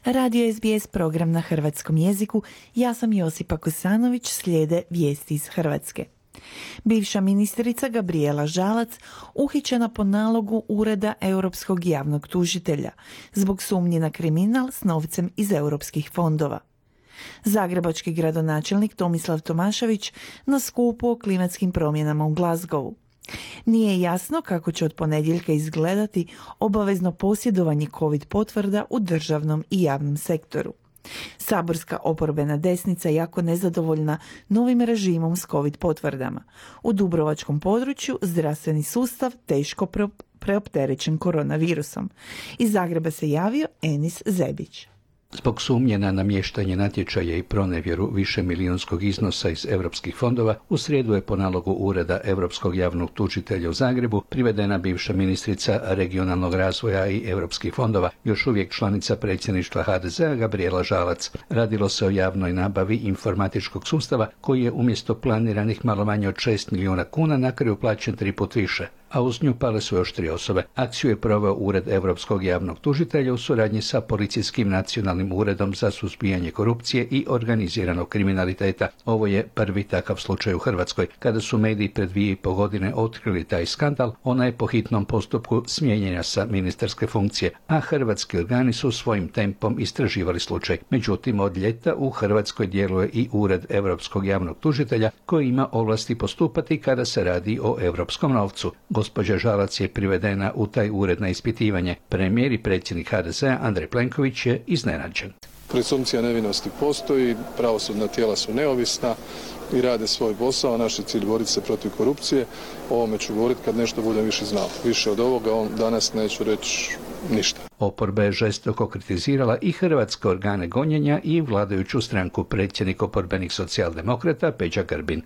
Radio SBS program na hrvatskom jeziku. Ja sam Josipa Kosanović, slijede vijesti iz Hrvatske. Bivša ministrica Gabrijela Žalac uhićena po nalogu Ureda Europskog javnog tužitelja zbog sumnji na kriminal s novcem iz europskih fondova. Zagrebački gradonačelnik Tomislav Tomašević na skupu o klimatskim promjenama u Glasgowu. Nije jasno kako će od ponedjeljka izgledati obavezno posjedovanje COVID potvrda u državnom i javnom sektoru. Saborska oporbena desnica jako nezadovoljna novim režimom s COVID potvrdama. U dubrovačkom području zdravstveni sustav teško preopterećen koronavirusom. Iz Zagreba se javio Enis Zebić. Zbog sumnje na namještanje natječaja i pronevjeru višemilijunskog iznosa iz europskih fondova, u srijedu je po nalogu Ureda Europskog javnog tužitelja u Zagrebu privedena bivša ministrica regionalnog razvoja i europskih fondova, još uvijek članica predsjedništva HDZ-a Gabrijela Žalac. Radilo se o javnoj nabavi informatičkog sustava koji je umjesto planiranih malo manje od 6 milijuna kuna na kraju plaćen 3 puta više, a uz nju pale su još 3 osobe. Akciju je proveo Ured Europskog javnog tužitelja u suradnji sa Policijskim nacionalnim uredom za suzbijanje korupcije i organiziranog kriminaliteta. Ovo je prvi takav slučaj u Hrvatskoj. Kada su mediji pred 2,5 godine otkrili taj skandal, ona je po hitnom postupku smijenjena sa ministarske funkcije, a hrvatski organi su svojim tempom istraživali slučaj. Međutim, od ljeta u Hrvatskoj djeluje i Ured Europskog javnog tužitelja koji ima ovlasti postupati kada se radi o europskom novcu. Gospođa Žalac je privedena u taj ured na ispitivanje. Premijer i predsjednik HDZ-a Andrej Plenković je iznenađen. Presumpcija nevinosti postoji, pravosudna tijela su neovisna i rade svoj posao. Naš je cilj boriti se protiv korupcije. O ovome ću govoriti kad nešto budem više znao. Više od ovoga danas neću reći ništa. Oporba je žestoko kritizirala i hrvatske organe gonjenja i vladajuću stranku. Predsjednik oporbenih socijaldemokrata Peđa Grbin.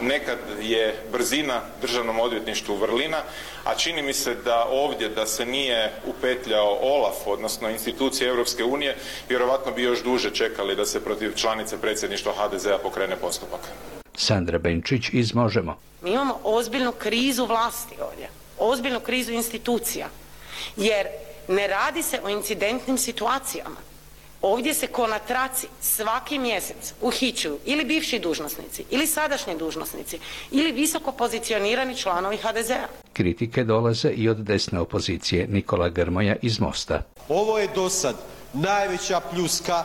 Nekad je brzina državnom odvjetništvu vrlina, a čini mi se da ovdje da se nije upetljao OLAF, odnosno institucije Europske unije, vjerovatno bi još duže čekali da se protiv članice predsjedništva HDZ-a pokrene postupak. Sandra Benčić iz Možemo. Mi imamo ozbiljnu krizu vlasti ovdje, ozbiljnu krizu institucija, jer ne radi se o incidentnim situacijama. Ovdje se ko na traci svaki mjesec uhićuju ili bivši dužnosnici, ili sadašnji dužnosnici, ili visoko pozicionirani članovi HDZ-a. Kritike dolaze i od desne opozicije. Nikola Grmoja iz Mosta. Ovo je dosad najveća pljuska,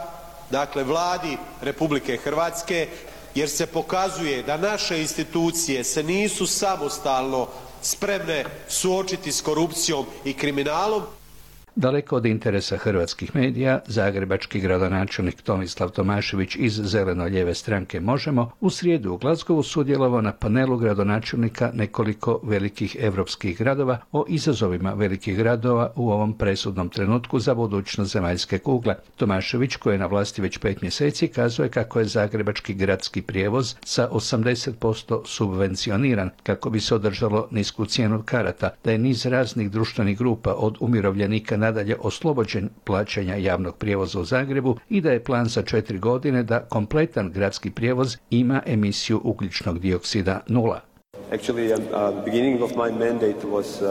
dakle, vladi Republike Hrvatske, jer se pokazuje da naše institucije se nisu samostalno spremne suočiti s korupcijom i kriminalom. Daleko od interesa hrvatskih medija, zagrebački gradonačelnik Tomislav Tomašević iz zeleno-lijeve stranke Možemo u srijedu u Glasgowu sudjelovao na panelu gradonačelnika nekoliko velikih europskih gradova o izazovima velikih gradova u ovom presudnom trenutku za budućnost zemaljske kugle. Tomašević, koji je na vlasti već 5 mjeseci, kazuje kako je zagrebački gradski prijevoz sa 80% subvencioniran kako bi se održalo nisku cijenu karata, da je niz raznih društvenih grupa od umirovljenika nadalje oslobođen plaćanja javnog prijevoza u Zagrebu i da je plan za 4 godine da kompletan gradski prijevoz ima emisiju ugljičnog dioksida 0. Actually, the beginning of my mandate was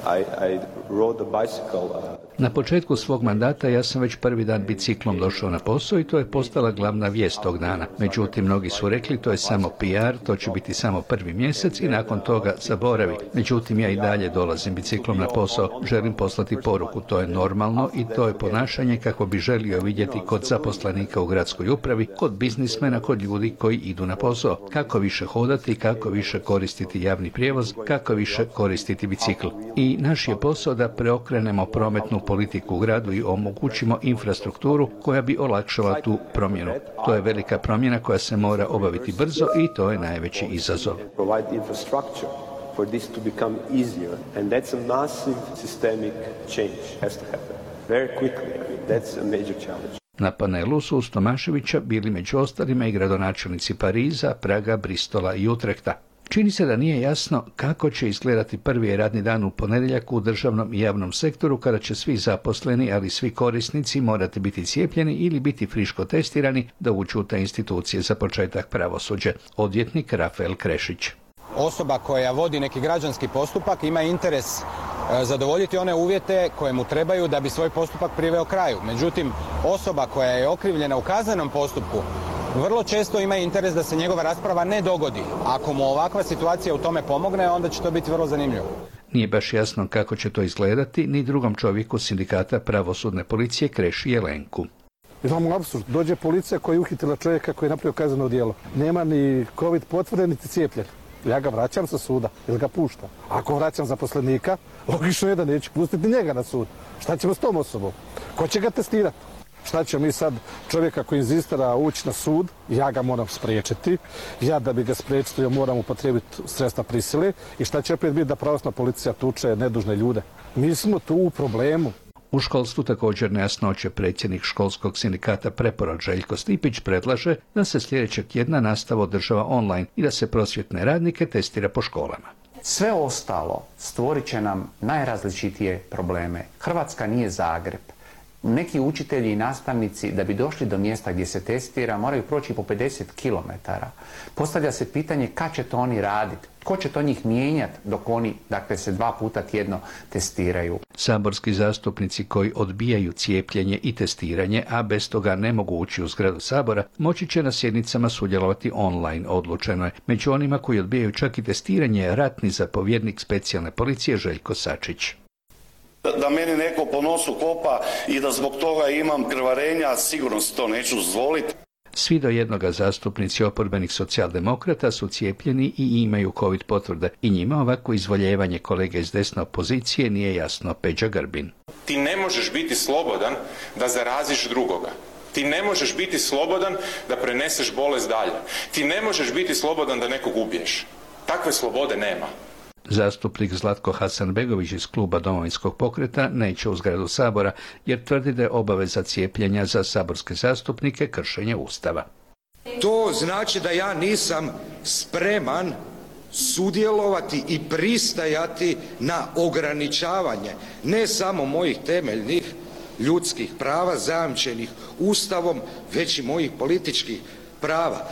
I rode a bicycle. Na početku svog mandata ja sam već prvi dan biciklom došao na posao i to je postala glavna vijest tog dana. Međutim, mnogi su rekli to je samo PR, to će biti samo prvi mjesec i nakon toga zaboravi. Međutim, ja i dalje dolazim biciklom na posao. Želim poslati poruku, to je normalno i to je ponašanje kako bi želio vidjeti kod zaposlenika u gradskoj upravi, kod biznismena, kod ljudi koji idu na posao. Kako više hodati, kako više koristiti javni prijevoz, kako više koristiti bicikl. I naš je posao da preokrenemo prometnu politiku u gradu i omogućimo infrastrukturu koja bi olakšala tu promjenu. To je velika promjena koja se mora obaviti brzo i to je najveći izazov. Na panelu su uz Tomaševića bili među ostalima i gradonačelnici Pariza, Praga, Bristola i Utrehta. Čini se da nije jasno kako će izgledati prvi radni dan u ponedjeljak u državnom i javnom sektoru kada će svi zaposleni, ali svi korisnici morati biti cijepljeni ili biti friško testirani da uđu u te institucije, za početak pravosuđe. Odvjetnik Rafael Krešić. osoba koja vodi neki građanski postupak ima interes zadovoljiti one uvjete koje mu trebaju da bi svoj postupak priveo kraju. Međutim, osoba koja je okrivljena u kaznenom postupku vrlo često ima interes da se njegova rasprava ne dogodi. Ako mu ovakva situacija u tome pomogne, onda će to biti vrlo zanimljivo. Nije baš jasno kako će to izgledati ni drugom čovjeku sindikata pravosudne policije Kreši Jelenku. Imamo apsurd. Dođe policija koja je uhitila čovjeka koji je napravio kazneno djelo. Nema ni COVID potvrde, niti cijepljen. Ja ga vraćam sa suda ili ga puštam. Ako vraćam zaposlenika, logično je da neću pustiti njega na sud. Šta ćemo s tom osobom? Ko će ga testirati? Šta ćemo mi sad čovjeka koji inzistira ući na sud, ja ga moram spriječiti, ja da bi ga spriječio moram upotrijebiti sredstva prisile i šta će opet biti da pravosudna policija tuče nedužne ljude. Mi smo tu u problemu. U školstvu također nejasnoće. Predsjednik školskog sindikata Preporod Željko Stipić predlaže da se sljedećeg tjedna nastava održava online i da se prosvjetne radnike testira po školama. Sve ostalo stvorit će nam najrazličitije probleme. Hrvatska nije Zagreb. Neki učitelji i nastavnici da bi došli do mjesta gdje se testira moraju proći po 50 km. Postavlja se pitanje kad će to oni raditi, tko će to njih mijenjati dok oni, dakle, se 2 puta tjedno testiraju. Saborski zastupnici koji odbijaju cijepljenje i testiranje, a bez toga ne mogu ući u zgradu Sabora, moći će na sjednicama sudjelovati online, odlučeno je. Među onima koji odbijaju čak i testiranje je ratni zapovjednik specijalne policije Željko Sačić. Da meni neko po nosu kopa i da zbog toga imam krvarenja, sigurno si to neću dozvoliti. Svi do jednoga zastupnici oporbenih socijaldemokrata su cijepljeni i imaju COVID potvrde i njima ovako izvoljevanje kolege iz desne opozicije nije jasno. Peđa Grbin. Ti ne možeš biti slobodan da zaraziš drugoga. Ti ne možeš biti slobodan da preneseš bolest dalje. Ti ne možeš biti slobodan da nekog ubiješ. Takve slobode nema. Zastupnik Zlatko Hasanbegović iz kluba Domovinskog pokreta neće u zgradu Sabora jer tvrdi da je obaveza cijepljenja za saborske zastupnike kršenje Ustava. To znači da ja nisam spreman sudjelovati i pristajati na ograničavanje ne samo mojih temeljnih ljudskih prava zajamčenih Ustavom, već i mojih političkih prava.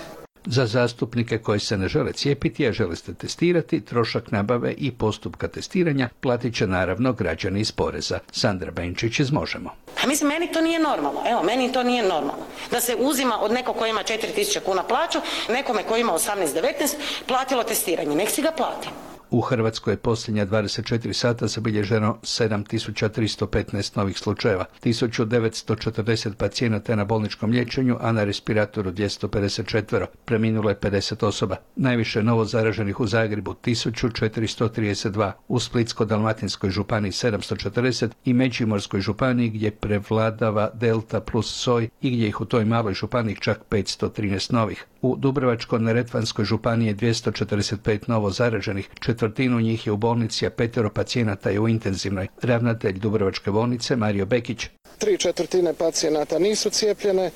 Za zastupnike koji se ne žele cijepiti, a žele se testirati, trošak nabave i postupka testiranja platit će naravno građani iz poreza. Sandra Benčić iz Možemo. A mislim, meni to nije normalno. Evo, meni to nije normalno. Da se uzima od nekog koji ima 4.000 kuna plaću, nekome koji ima 18-19 platilo testiranje. Nek si ga plati. U Hrvatskoj je posljednja 24 sata zabilježeno 7.315 novih slučajeva, 1.940 pacijenata na bolničkom liječenju, a na respiratoru 254. Preminulo je 50 osoba. Najviše novo zaraženih u Zagrebu 1.432, u Splitsko-dalmatinskoj županiji 740 i Međimurskoj županiji gdje prevladava Delta plus soj i gdje ih u toj maloj županiji čak 513 novih. U Dubrovačko-neretvanskoj županiji je 245 novo zaraženih, četvrtinu njih je u bolnici, a 5 pacijenata je u intenzivnoj. Ravnatelj Dubrovačke bolnice Mario Bekić. 3/4 pacijenata nisu cijepljene,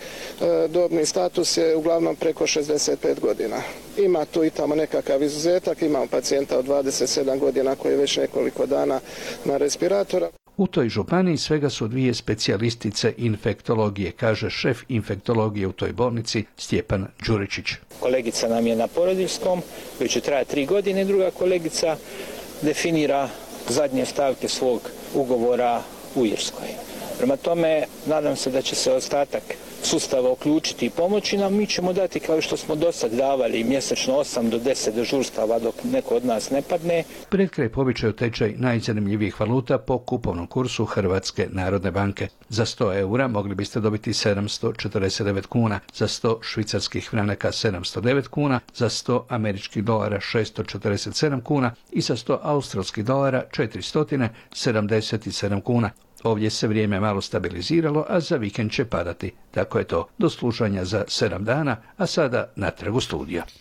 dobni status je uglavnom preko 65 godina. Ima tu i tamo nekakav izuzetak, imamo pacijenta od 27 godina koji je već nekoliko dana na respiratora. U toj županiji svega su 2 specijalistice infektologije, kaže šef infektologije u toj bolnici Stjepan Đuričić. Kolegica nam je na porodiljskom, koji će trajati 3 godine, druga kolegica definira zadnje stavke svog ugovora u Irskoj. Prema tome, nadam se da će se ostatak sustava uključiti i pomoći nam. Mi ćemo dati, kao što smo do sad davali, mjesečno 8 do 10 dežurstava dok neko od nas ne padne. Pred kraj po običaju tečaj najzanimljivijih valuta po kupovnom kursu Hrvatske narodne banke. Za 100 eura mogli biste dobiti 749 kuna, za 100 švicarskih franaka 709 kuna, za 100 američkih dolara 647 kuna i za 100 australskih dolara 477 kuna. Ovdje se vrijeme malo stabiliziralo, a za vikend će padati. Tako je to. Do slušanja za 7 dana, a sada natrag u studio.